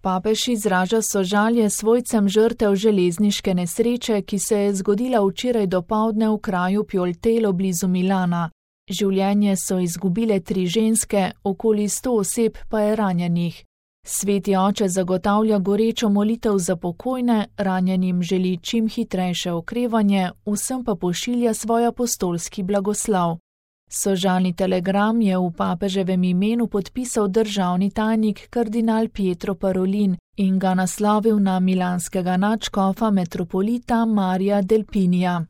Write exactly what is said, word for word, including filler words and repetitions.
Papež izraža sožalje svojcem žrtev železniške nesreče, ki se je zgodila včeraj dopoldne v kraju Pjoltelo blizu Milana. Življenje so izgubile tri ženske, okoli sto oseb pa je ranjenih. Sveti oče zagotavlja gorečo molitev za pokojne, ranjenim želi čim hitrejše okrevanje, vsem pa pošilja svoj apostolski blagoslov. Sožalni telegram je v papeževem imenu podpisal državni tajnik kardinal Pietro Parolin in ga naslovil na milanskega nadškofa metropolita Marija Delpinija.